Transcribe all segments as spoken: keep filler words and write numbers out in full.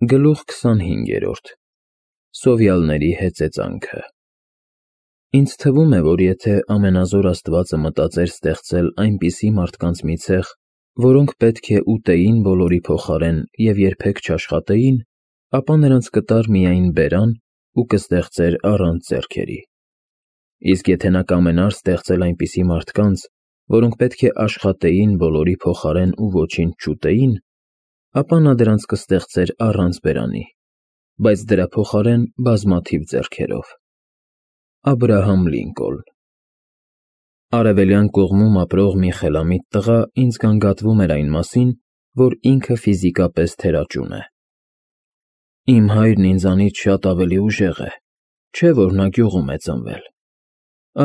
Գլուխ քսանհինգերորդ Սովյալների հեծեծանքը Ինձ թվում է, որ եթե ամենազոր Աստվածը մտածեր ստեղծել այնպիսի մարդկանց մի ցեղ, որոնք պետք է ուտեին բոլորի փոխարեն և երբեք չաշխատեին, ապա նրանց կտար միայն բերան ու կստեղծեր առանց ձեռքերի։ Իսկ եթե նա կամենար ստեղծել այնպիսի մարդկանց, որոնք պետք է աշխատեին բոլորի փոխարեն ու ոչինչ չուտեին, ապա նա դրանց կստեղծեր առանց բերանի, բայց դրա փոխարեն բազմաթիվ ձեռքերով։ Աբրահամ Լինկոլն Արևելյան կողմում ապրող մի խելամիտ տղա ինձ գանգատվում էր այն մասին, որ ինքը ֆիզիկապես թերաճուն է։ Իմ հայրն ինձանից շատ ավելի ուժեղ է, չէ՞ որ նա գյուղում է ծնվել։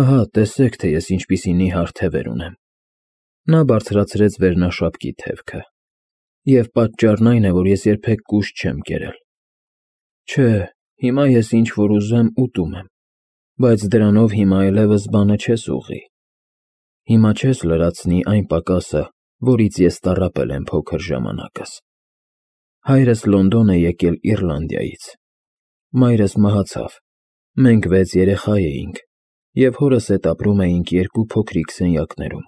Ահա, տեսեք, թե ես ինչպիսի նիհար թևեր ունեմ։ Նա բարձրացրեց վերնաշապկի թևքը։ Եվ պատճառն այն է, որ ես երբեք կուշտ չեմ կերել։ Չէ, հիմա ես ինչ որ ուզեմ ուտում եմ, բայց դրանով հիմա այլևս բանը չես ուղղի։ Հիմա չես լրացնի այն պակասը, որից ես տառապել եմ փոքր ժամանակս։ Հայրս Լոնդոն է եկել Իռլանդիայից։ Մայրս մահացավ, մենք վեց երեխա էինք, և հորս հետ ապրում էինք երկու փոքրիկ սենյակներում։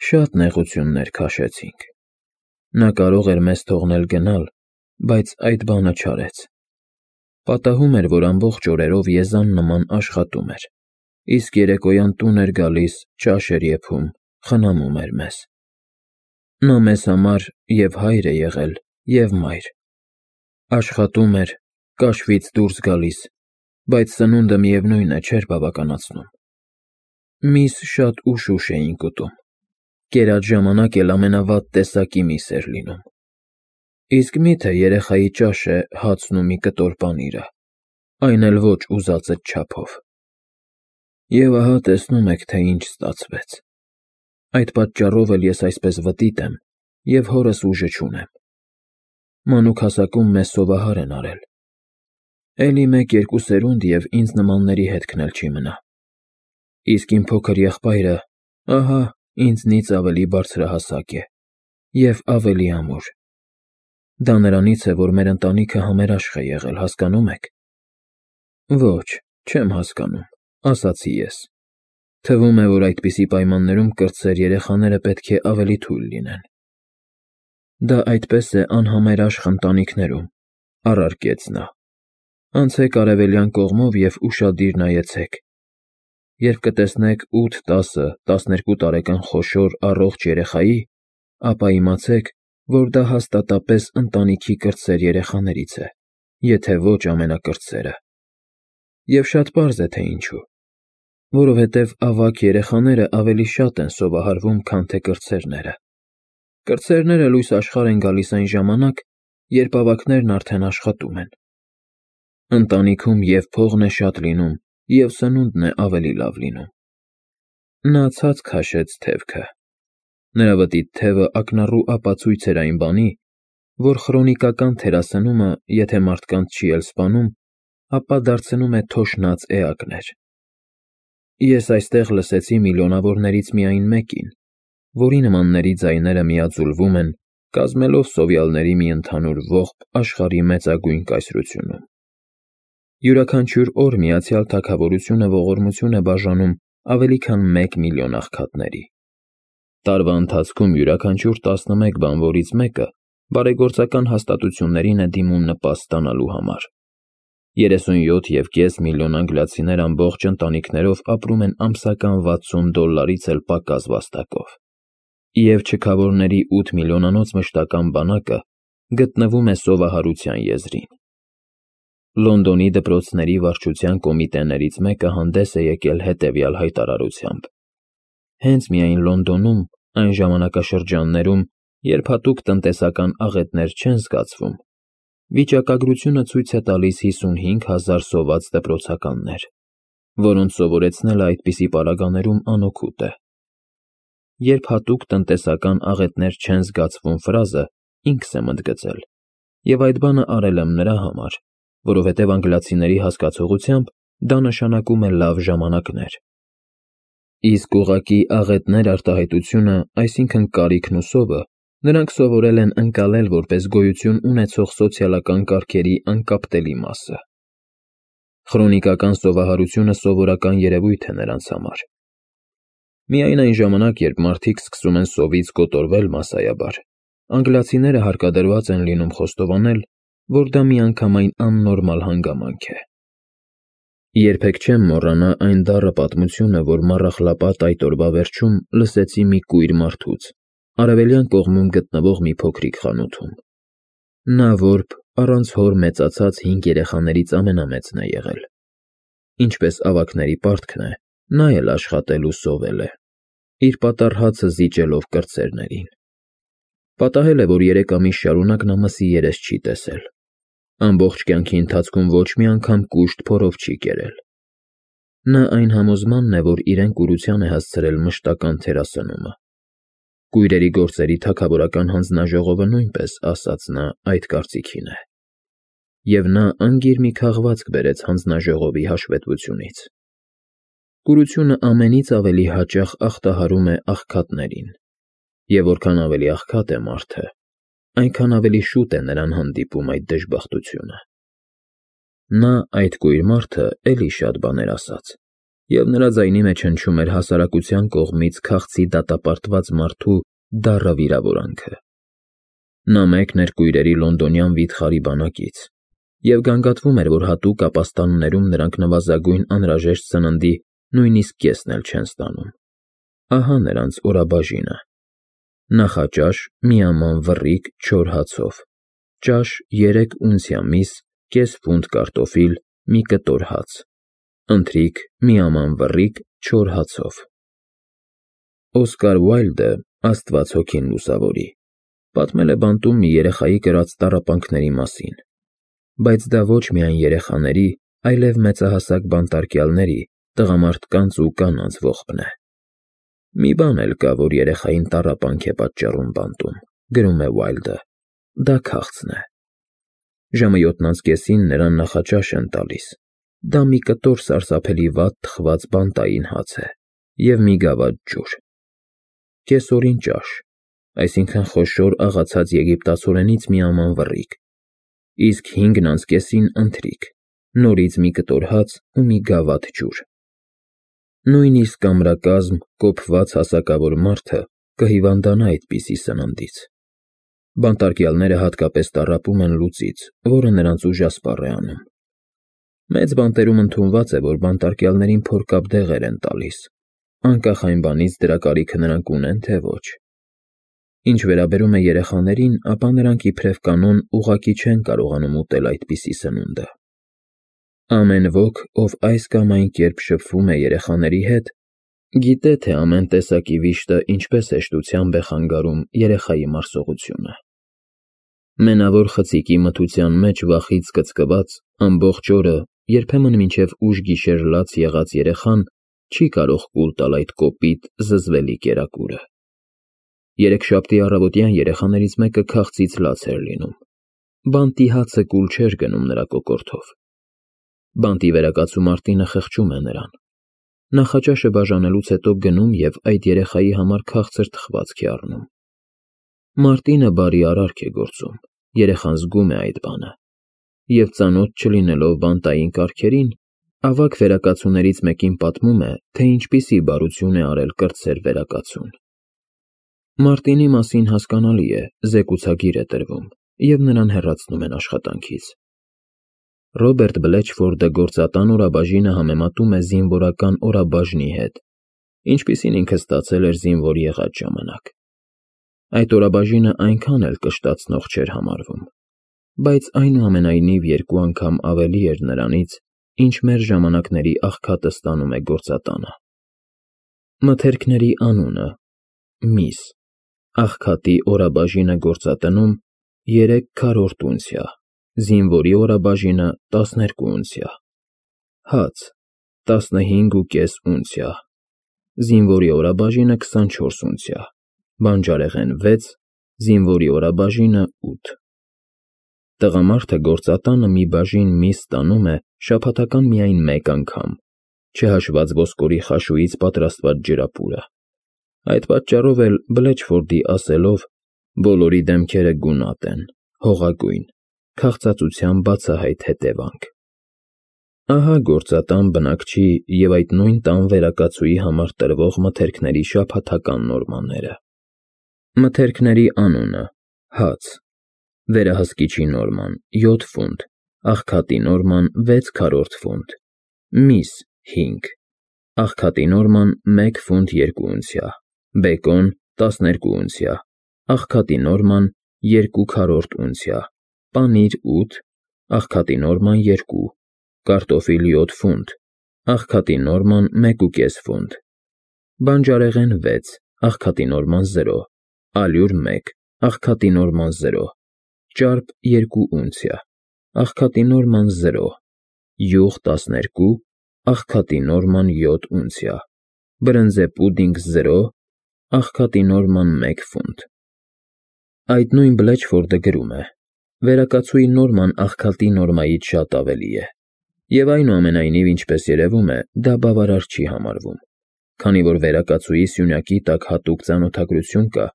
Շատ նեղություններ քաշեցինք։ Նա կարող էր մեզ թողնել գնալ, բայց այդ բանը չարեց։ Պատահում էր, որ ամբողջ օրերով եզան նման աշխատում էր, իսկ երեկոյան տուն էր գալիս, ճաշ էր եփում, խնամում էր մեզ։ Նա մեզ համար և հայր է եղել, և մայր։ Աշխատում էր, կաշվից դուրս գալիս, բայց սնունդը միևնույն է չէր բավականացնում։ Միս շատ ուշ֊ուշ էինք ուտում, կերած ժամանակ էլ ամենավատ տեսակի միս էր լինում։ Իսկ մի՞թե երեխայի ճաշ է հացն ու մի կտոր պանիրը, այն էլ ոչ ուզածդ չափով։ Եվ ահա տեսնում եք, թե ինչ ստացվեց։ Այդ պատճառով էլ ես այսպես վտիտ եմ և հորս ուժը չունեմ։ Մանուկ հասակում մեզ սովահար են արել։ Էլի մեկ֊երկու սերունդ և ինձ նմանների հետքն էլ չի մնա։ Իսկ իմ փոքր եղբայրը, ահա, ինձնից ավելի բարձրահասակ է և ավելի ամուր։ Դա նրանից է, որ մեր ընտանիքը համերաշխ է եղել, հասկանո՞ւմ եք։ Ոչ, չեմ հասկանում, ասացի ես։ Թվում է, որ այդպիսի պայմաններում կրտսեր երեխաները պետք է ավելի թույլ լինեն։ Դա այդպես է անհամերաշխ ընտանիքներում, առարկեց նա։ Անցեք արևելյան կողմով և ուշադիր նայեցեք։ Երբ կտեսնեք ութ, տասը, տասներկու տարեկան խոշոր, առողջ երեխայի, ապա իմացեք, որ դա հաստատապես ընտանիքի կրտսեր երեխաներից է, եթե ոչ ամենակրտսերը։ Եվ շատ պարզ է, թե ինչու։ Որովհետև ավագ երեխաները ավելի շատ են սովահարվում, քան թե կրտսերները։ Կրտսերները լույս աշխարհ են գալիս այն ժամանակ, երբ ավագներն արդեն աշխատում են։ Ընտանիքում և փողն է շատ լինում, և սնունդն է ավելի լավ լինում։ Նա ցած քաշեց թևքը։ Նրա վտիտ թևը ակնառու ապացույց էր այն բանի, որ խրոնիկական թերասնումը, եթե մարդկանց չի էլ սպանում, ապա դարձնում է թոշնած էակներ։ Ես այստեղ լսեցի միլիոնավորներից միայն մեկին, որի նմանների ձայները միաձուլվում են, կազմելով սովյալների մի ընդհանուր ողբ աշխարհի մեծագույն կայսրությունում։ Յուրաքանչյուր օր Միացյալ Թագավորությունը ողորմություն է բաժանում ավելի քան մեկ միլիոն աղքատների։ Տարվա ընթացքում յուրաքանչյուր տասնմեկ բանվորից մեկը բարեգործական հաստատություններին է դիմում նպաստ ստանալու համար։ երեսունյոթ և կես միլիոն անգլիացիներ ամբողջ ընտանիքներով ապրում են ամսական վաթսուն դոլարից էլ պակաս վաստակով։ Եվ չքավորների ութ միլիոնանոց մշտական բանակը գտնվում է սովահարության եզրին։ Լոնդոնի դպրոցների վարչության կոմիտեներից մեկը հանդես է եկել հետևյալ հայտարարությամբ. Հենց միայն Լոնդոնում, այն ժամանակաշրջաններում, երբ հատուկ տնտեսական աղետներ չեն զգացվում, վիճակագրությունը ցույց է տալիս հիսունհինգ հազար սոված դպրոցականներ, որոնց սովորեցնելը այդպիսի պարագաներում անօգուտ է։ Երբ հատուկ տնտեսական աղետներ չեն զգացվում ֆրազը ինքս եմ ընդգծել, և այդ բանը արել եմ նրա համար, որովհետև անգլիացիների հասկացողությամբ դա նշանակում է լավ ժամանակներ։ Իսկ ուղղակի աղետներ արտահայտությունը, այսինքն կարիքն ու սովը, Նրանք սովորել են ընկալել որպես գոյություն ունեցող սոցիալական կարգերի անկապտելի մասը։ Խրոնիկական սովահարությունը սովորական երևույթ է նրանց համար։ Միայն այն ժամանակ, երբ մարդիկ սկսում են սովից կոտորվել մասսայաբար, անգլիացիները հարկադրված են լինում խոստովանել, որ դա միանգամայն աննորմալ հանգամանք է։ Երբեք չեմ մոռանա այն դառը պատմությունը, որ մառախլապատ այդ օրվա վերջում լսեցի մի կույր մարդուց, արևելյան կողմում գտնվող մի փոքրիկ խանութում։ Նա որբ առանց հոր մեծացած հինգ երեխաներից ամենամեծն է եղել։ Ինչպես ավագների պարտքն է, նա էլ աշխատել ու սովել է, իր պատառ հացը զիջելով կրտսերներին։ Պատահել է, որ երեք ամիս շարունակ նա մսի երես չի տեսել։ Ամբողջ կյանքի ընթացքում ոչ մի անգամ կուշտ փորով չի կերել։ Նա այն համոզմանն է, որ իրեն կուրության է հասցրել մշտական թերասնումը։ Կույրերի գործերի թագավորական հանձնաժողովը նույնպես, ասաց նա, այդ կարծիքին է։ Եվ նա անգիր մի քաղվածք բերեց հանձնաժողովի հաշվետվությունից։ Կուրությունը ամենից ավելի հաճախ ախտահարում է աղքատներին, և որքան ավելի աղքատ է մարդը, այնքան ավելի շուտ է նրան հանդիպում այդ դժբախտությունը։ Նա, այդ կույր մարդը, էլի շատ բաներ ասաց, և նրա ձայնի մեջ հնչում էր հասարակության կողմից քաղցի դատապարտված մարդու դառը վիրավորանքը։ Նա մեկն էր կույրերի լոնդոնյան վիթխարի բանակից, և գանգատվում էր, որ հատուկ ապաստաններում նրանք նվազագույն անհրաժեշտ սննդի նույնիսկ կեսն էլ չեն ստանում։ Ահա նրանց օրաբաժինը. նախաճաշ միաման վռիկ չոր հացով, ճաշ երեք ունցիա միս, կես ֆունտ կարտոֆիլ, մի կտոր հաց, ընթրիք միաման վռիկ չոր հացով։ Օսկար Ուայլդը, Աստված հոգին լուսավորի, պատմել է բանտում մի երեխայի կրած տառապանքների մասին, բայց դա ոչ միայն երեխաների, այլև մեծահասակ բանտարկյալների, տղամարդկանց ու կանանց ողբն է։ Մի բան էլ կա, որ երեխային տառապանք է պատճառում բանտում, գրում է Ուայլդը, դա քաղցն է։ Ժամը յոթն անց կեսին նրան նախաճաշ են տալիս, դա մի կտոր սարսափելի վատ թխված բանտային հաց է և մի գավաթ ջուր։ Կեսօրին ճաշ, այսինքն խոշոր աղացած եգիպտացորենից միաման վռիկ, իսկ հինգն անց կեսին ընթրիք, նորից մի կտոր հաց ու մի գավաթ ջուր։ Նույնիսկ կամրակազմ, կոփված հասակավոր մարդը կհիվանդանա այդպիսի սննդից։ Բանտարկյալները հատկապես տառապում են լուծից, որը նրանց ուժասպառ է անում։ Մեծ բանտերում ընդունված է, որ բանտարկյալներին փորկապ դեղեր են տալիս, անկախ այն բանից դրա կարիքը նրանք ունեն, թե ոչ։ Ինչ վերաբերում է երեխաներին, ապա նրանք իբրև կանոն ուղղակի չեն կարողանում ուտել այդպիսի սնունդը։ Ամեն ոք, ով այս կամ այն կերպ շփվում է երեխաների հետ, գիտե, թե ամեն տեսակի վիշտը ինչպես հեշտությամբ է խանգարում երեխայի մարսողությունը։ Մենավոր խցիկի մթության մեջ վախից կծկված, ամբողջ օրը, երբեմն մինչև ուշ գիշեր լաց եղած երեխան չի կարող կուլ տալ այդ կոպիտ, զզվելի կերակուրը։ Երեքշաբթի առավոտյան երեխաներից մեկը քաղցից լաց էր լինում։ Բանտի հացը կուլ չէր գնում նրա կոկորդով։ Բանտի վերակացու Մարտինը խղճում է նրան։ Նախաճաշը բաժանելուց հետո գնում և այդ երեխայի համար քաղցր թխվածք է առնում։ Մարտինը բարի արարք է գործում, երեխան զգում է այդ բանը, և ծանոթ չլինելով բանտային կարգերին, ավագ վերակացուներից մեկին պատմում է, թե ինչպիսի բարություն է արել կրտսեր վերակացուն։ Մարտինի մասին հասկանալի է, զեկուցագիր է տրվում, և նրան հեռացնում են աշխատանքից։ Ռոբերտ Բլեչֆորդը գործատան օրաբաժինը համեմատում է զինվորական օրաբաժնի հետ, ինչպիսին ինքը ստացել էր զինվոր եղած ժամանակ։ Այդ օրաբաժինը այնքան էլ կշտացնող չէր համարվում, բայց այնուամենայնիվ երկու անգամ ավելի էր նրանից, ինչ մեր ժամանակների աղքատը ստանում է գործատանը։ Մթերքների անունը՝ միս, աղքատի օրաբաժինը գործատնում երեք քառորդ ունցիա, զինվորի օրաբաժինը տասներկու ունցիա, հաց տասնհինգ ու կես ունցիա, զինվորի օրաբաժինը քսանչորս ունցիա, բանջարեղեն վեց, զինվորի օրաբաժինը ութ։ Տղամարդը գործատանը մի բաժին միս ստանում է շաբաթական միայն մեկ անգամ, չհաշված ոսկորի խաշուից պատրաստված ջրապուրը։ Այդ պատճառով էլ, Բլեչֆորդի ասելով, Բոլորի դեմքերը գունատ են, հողագույն, քաղցածության բացահայտ հետևանք։ Ահա գործատան բնակչի և այդ նույն տան վերակացուի համար տրվող մթերքների շաբաթական նորմաները։ Մթերքների անունը՝ հաց, վերահսկիչի նորման՝ յոթ ֆունտ, աղքատի նորման՝ վեց քառորդ ֆունտ, միս՝ հինգ, աղքատի նորման՝ մեկ ֆունտ երկու ունցիա, բեկոն՝ տասներկու ունցիա, աղքատի նորման՝ երկու քառորդ ունցիա, պանիր՝ ութ, աղքատի նորման՝ երկու, կարտոֆիլ՝ յոթ ֆունտ, աղքատի նորման՝ մեկ ու կես ֆունտ, բանջարեղեն՝ վեց, աղքատի նորման՝ զրո, ալյուր՝ մեկ, աղքատի նորման՝ զրո, ճարպ՝ երկու ունցիա, աղքատի նորման՝ զրո, յուղ՝ տասներկու, աղքատի նորման՝ յոթ ունցիա, բրնձե պուդինգ՝ զրո, աղքատի նորման՝ մեկ ֆունտ։ Այդ նույն Բլեչֆորդը գրում է. «Վերակացուի նորման աղքատի նորմայից շատ ավելի է, և այնուամենայնիվ, ինչպես երևում է, դա բավարար չի համարվում, քանի որ վերակացուի սյունյակի տակ հատուկ ծանոթագրություն կա,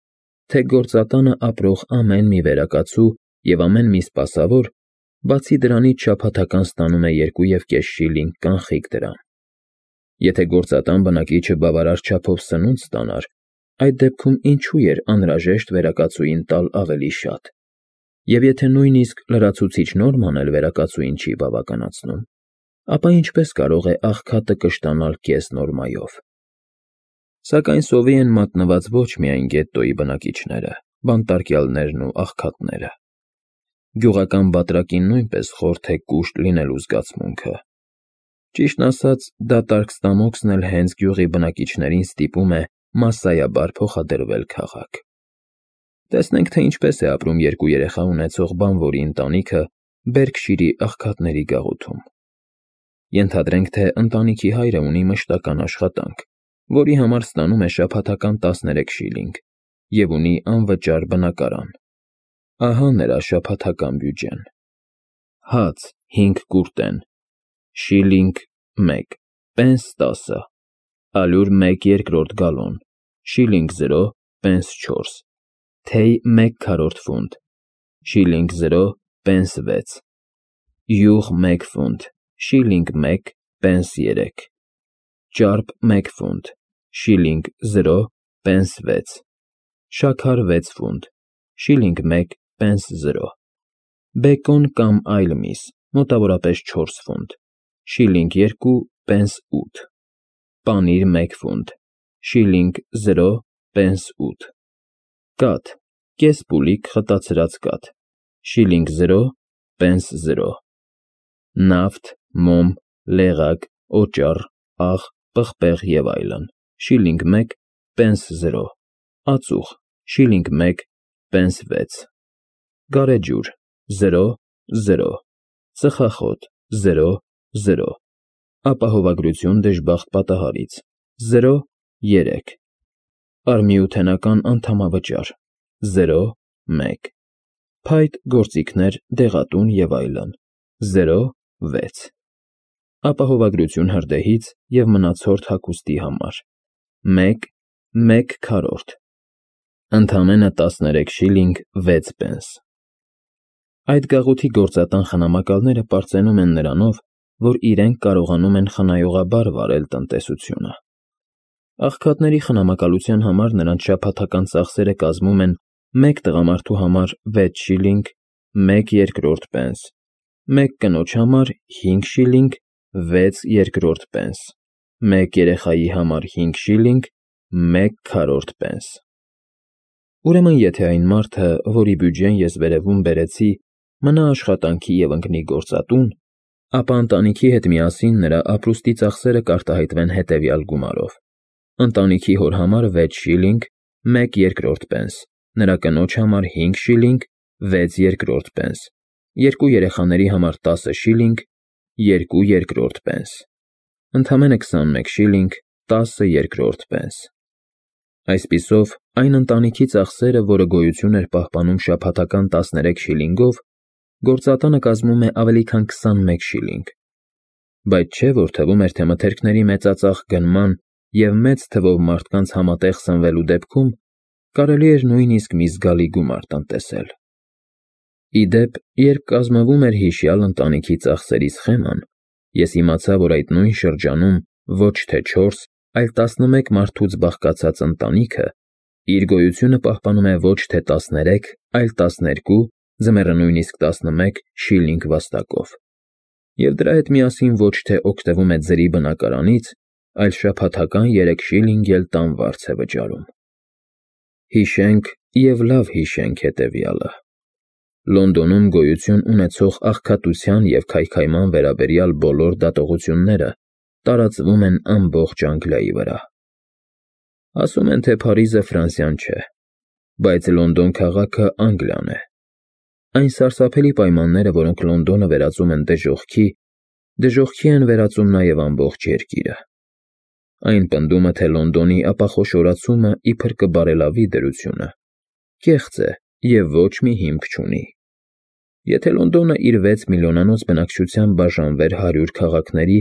թե գործատանը ապրող ամեն մի վերակացու և ամեն մի սպասավոր, բացի դրանից շաբաթական ստանում է երկու և կես շիլինգ կանխիկ դրամ։ Եթե գործատան բնակիչը բավարար չափով սնունդ ստանար, այդ դեպքում ինչու էր անհրաժեշտ վերակացուին տալ ավելի շատ, և եթե նույնիսկ լրացուցիչ նորման էլ վերակացուին չի բավականացնում, ապա ինչպես կարող է աղքատը կշտանալ կես նորմայով։ Սակայն սովի են մատնված ոչ միայն գետտոյի բնակիչները, բանտարկյալներն ու աղքատները։ Գյուղական բատրակին նույնպես խորթ է կուշտ լինելու զգացմունքը։ Ճիշտն ասած, դատարկ Ստամոքսն էլ հենց գյուղի բնակիչներին ստիպում է մասսայաբար փոխադրվել քաղաք։ Տեսնենք, թե ինչպես է ապրում երկու երեխա ունեցող բանվորի ընտանիքը Բերքշիրի աղքատների գաղութում։ Ենթադրենք, թե ընտանիքի հայրը ունի մշտական աշխատանք, որի համար ստանում է շաբաթական տասներեք շիլինգ և ունի անվճար բնակարան։ Ահա նրա շաբաթական բյուջեն. հաց հինգ կուրտեն, շիլինգ մեկ, պենս տասը, ալյուր մեկ երկրորդ գալոն, շիլինգ զրո, պենս չորս, թեյ մեկ քառորդ ֆունտ, շիլինգ զրո, պենս վեց, յուղ մեկ ֆունտ, շիլինգ մեկ, պենս երեք, ճարպ մեկ ֆունտ, շիլինգ զրո, պենս վեց, շաքար վեց ֆունտ, շիլինգ մեկ, պենս զրո, բեկոն կամ այլ միս, մոտավորապես չորս ֆունտ, շիլինգ երկու, պենս ութ, պանիր մեկ ֆունտ, շիլինգ զրո, պենս ութ, կաթ, կես պուլիկ խտացրած կաթ, շիլինգ զրո, պենս զրո, նավթ, մոմ, լեղակ, օճառ, աղ, պղպեղ և այլն, շիլինգ մեկ, պենս զրո, ածուխ, շիլինգ մեկ, պենս վեց, գարեջուր, զրո, զրո, ծխախոտ, զրո, զրո, ապահովագրություն դժբախտ պատահարից, զրո, երեք, արմիութենական անդամավճար, զրո, մեկ, փայտ գործիքներ, դեղատուն և այլն, զրո, վեց, ապահովագրություն հրդեհից և մնացորդ հագուստի համար, մեկ, մեկ քառորդ, ընդամենը տասներեք շիլինգ վեց պենս։ Այդ գաղութի գործատան խնամակալները պարծենում են նրանով, որ իրենք կարողանում են խնայողաբար վարել տնտեսությունը։ Աղքատների խնամակալության համար նրանց շաբաթական ծախսերը կազմում են մեկ տղամարդու համար վեց շիլինգ, մեկ երկրորդ պենս, մեկ կնոջ համար հինգ շիլինգ, վեց երկրորդ պենս, մեկ երեխայի համար հինգ շիլինգ, մեկ քառորդ պենս։ Ուրեմն եթե այն մարդը, որի բյուջեն ես վերևում բերեցի, մնա աշխատանքի և ընկնի գործատուն, ապա ընտանիքի հետ միասին նրա ապրուստի ծախսերը կարտահայտվեն հետևյալ գումարով. ընտանիքի հոր համար վեց շիլինգ, մեկ երկրորդ պենս, նրա կնոջ համար հինգ շիլինգ, վեց երկրորդ պենս, երկու երեխաների համար տասը շիլինգ, երկու երկրորդ պենս, ընդամենը քսանմեկ շիլինգ, տասը երկրորդ պենս։ Այսպիսով, այն ընտանիքի ծախսերը, որը գոյություն էր պահպանում շաբաթական տասներեք շիլինգով, գործատանը կազմում է ավելի քան քսանմեկ շիլինգ։ Բայց չէ՞ որ թվում էր, թե մթերքների մեծածախ գնման և մեծ թվով մարդկանց համատեղ սնվելու դեպքում կարելի էր նույնիսկ մի զգալի գումար տնտեսել։ Ի դեպ, երբ կազմվում էր հիշյալ ընտանիքի ծախսերի սխեման, ես իմացա, որ այդ նույն շրջանում ոչ թե չորս, այլ տասնմեկ մարդուց բաղկացած ընտանիքը իր գոյությունը պահպանում է ոչ թե տասներեք, այլ տասներկու, ձմեռը նույնիսկ տասնմեկ շիլինգ վաստակով, և դրա հետ միասին ոչ թե օգտվում է ձրի բնակարանից, այլ շաբաթական երեք շիլինգ էլ տան վարձ է վճարում։ Հիշենք և լավ հիշենք հետևյալը. Լոնդոնում գոյություն ունեցող աղքատության և քայքայման վերաբերյալ բոլոր դատողությունները տարածվում են ամբողջ Անգլիայի վրա։ Ասում են, թե Փարիզը Ֆրանսիան չէ, բայց Լոնդոն քաղաքը Անգլիան է։ Այն սարսափելի պայմանները, որոնք Լոնդոնը վերածում են դժոխքի, դժոխքի են վերածում նաև ամբողջ երկիրը։ Այն պնդումը, թե Լոնդոնի ապախոշորացումը իբր կբարելավի դրությունը, կեղծ է և ոչ մի հիմք չունի։ Եթե Լոնդոնը իր վեց միլիոնանոց բնակչությամբ բաժանվեր հարյուր քաղաքների,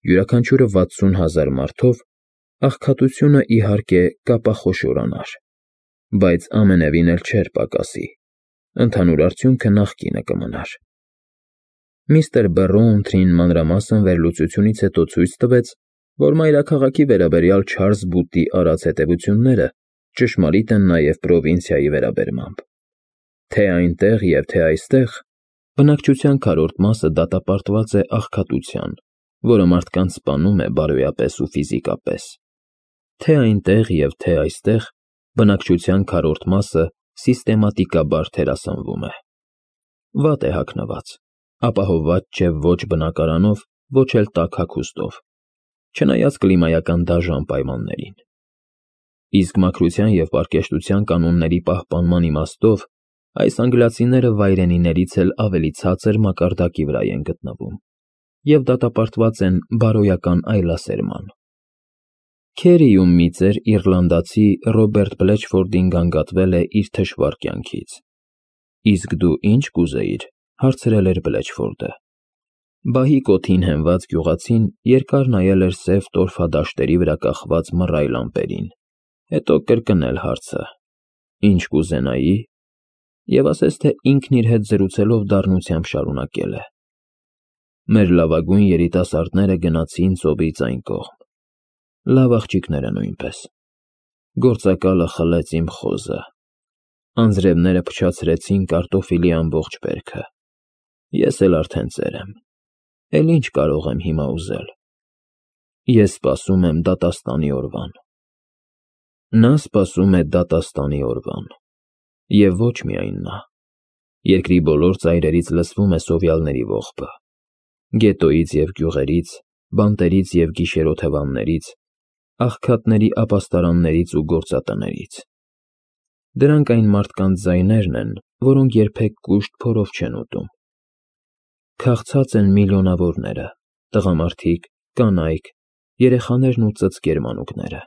յուրաքանչյուրը վաթսուն հազար մարդով, աղքատությունը, իհարկե, կապախոշորանար, բայց ամենևին էլ չէր պակասի, ընդհանուր արդյունքը նախկինը կմնար։ Միստր Բեռոունթրին մանրամասն վերլուծությունից հետո ցույց տվեց, որ մայրաքաղաքի վերաբերյալ Չարլզ Բուտի արած հետևությունները ճշմարիտ են նաև պրովինցիայի վերաբերմամբ։ Թե այնտեղ և թե այստեղ բնակչության քառորդ մասը դատապարտված է աղքատության, որը մարդկանց սպանում է բարոյապես ու ֆիզիկապես։ Թե այնտեղ և թե այստեղ բնակչության քառորդ մասը սիստեմատիկաբար թերասանվում է։ Վատ է հագնված, ապահովված չէ ոչ բնակարանով, ոչ էլ տաք հագուստով, չնայած կլիմայական դաժան պայմաններին։ Իսկ մաքրության և պարկեշտության կանոնների պահպանման իմաստով այս անգլիացիները վայրենիներից էլ ավելի ցածր մակարդակի վրա են գտնվում և դատապարտված են բարոյական այլասերման։ Քերիում մի ծեր իռլանդացի Ռոբերտ Բլեչֆորդին գանգատվել է իր թշվառ կյանքից։ Իսկ դու ի՞նչ կուզեիր, հարցրել էր Բլեչֆորդը։ Բահիկ օդին հենված գյուղացին երկար նայել էր սև տորֆադաշտերի վրա կախված մռայլ ամպերին, հետո կրկնել հարցը. Ինչ կուզենայի, և ասես թե ինքն իր հետ զրուցելով դառնությամբ շարունակել է. Մեր լավագույն երիտասարդները գնացին ծովից այն կողմ, լավ աղջիկները նույնպես, գործակալը խլեց իմ խոզը, անձրևները փչացրեցին կարտոֆիլի ամբողջ բերքը, ես էլ արդեն ծեր եմ, էլ ինչ կարող եմ հիմա ուզել, ես սպասում եմ դատաստանի օրվան։ Նա սպասում է դատաստանի օրվան, և ոչ միայն նա, երկրի բոլոր ծայրերից լսվում է սովյալների ողբը, գետոյից և գյուղերից, բանտերից և գիշերօթևաններից, աղքատների ապաստարաններից ու գործատներից։ Դրանք այն մարդկանց ձայներն են, որոնք երբեք կուշտ փորով չեն ուտում։ Քաղցած են միլիոնավորները, տղամարդիկ, կանայք, երեխաներն ու ծծկեր մանուկները,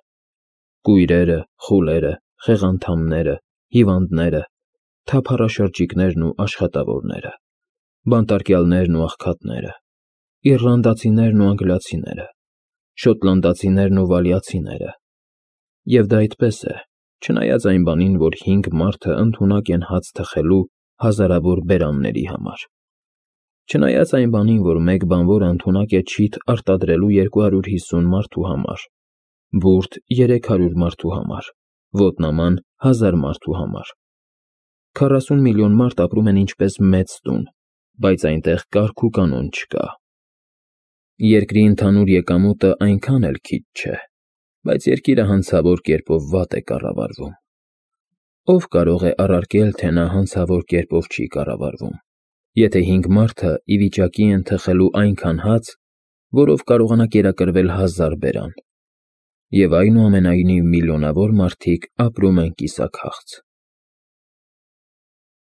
կույրերը, խուլերը, խեղանդամները, հիվանդները, թափառաշրջիկներն ու աշխատավորները, բանտարկյալներն ու աղքատները, իռլանդացիներն ու անգլիացիները, շոտլանդացիներն ու վալիացիները։ Եվ դա այդպես է, չնայած այն բանին, որ հինգ մարդը ընդունակ են հաց թխելու հազարավոր բերանների համար, չնայած այն բանին, որ մեկ բանվորը ընդունակ է չիթ արտադրելու երկու հարյուր հիսուն մարդու համար, բուրդ երեք հարյուր մարդու համար, ոտնաման հազար մարդու համար։ Քառասուն միլիոն մարդ ապրում են ինչպես մեծ տուն, բայց այնտեղ կարգ ու կանոն չկա։ Երկրի ընդհանուր եկամուտը այնքան էլ քիչ չէ, բայց երկիրը հանցավոր կերպով վատ է կառավարվում։ Ո՞վ կարող է առարկել, թե նա հանցավոր կերպով չի կառավարվում, եթե հինգ մարդը ի վիճակի են թխելու այնքան հաց, որով կարողանա կերակրվել հազար բերան, և այնուամենայնիվ միլիոնավոր մարդիկ ապրում են կիսաքաղց։